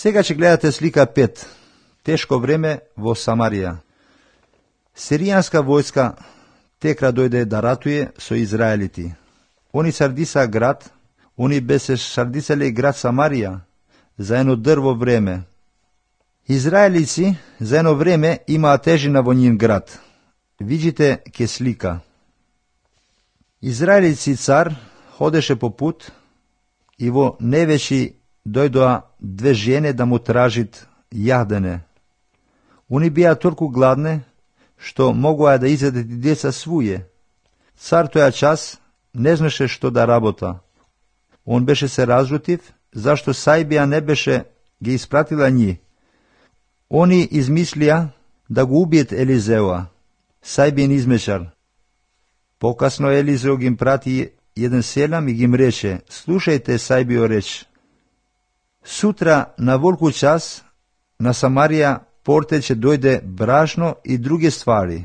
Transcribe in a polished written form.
Сега ќе гледате слика 5. Тешко време во Самарија. Сиријанска војска текра дојде да ратуе со израелити. Они сардиса град, они бесе сардисале град Самарија за едно дрво време. Израелици за едно време имаа тежина во нин град. Видите ке слика. Израелици цар ходеше по пут и во невечи дојдоа две жени да му тражит јадене. Они беа толку гладне, што могуа да изедат и деца своје. Цар тоја час не знаеше што да работа. Он беше се разлутив, зашто Сајбија не беше ги испратила нji. Они измислија да го убиет Елизева, Сајбиен измечар. Покасно Елизео ги прати еден селам и ги им рече: слушајте Сајбио реч. Сутра на волку час на Самарија порте ќе дојде брашно и други ствари.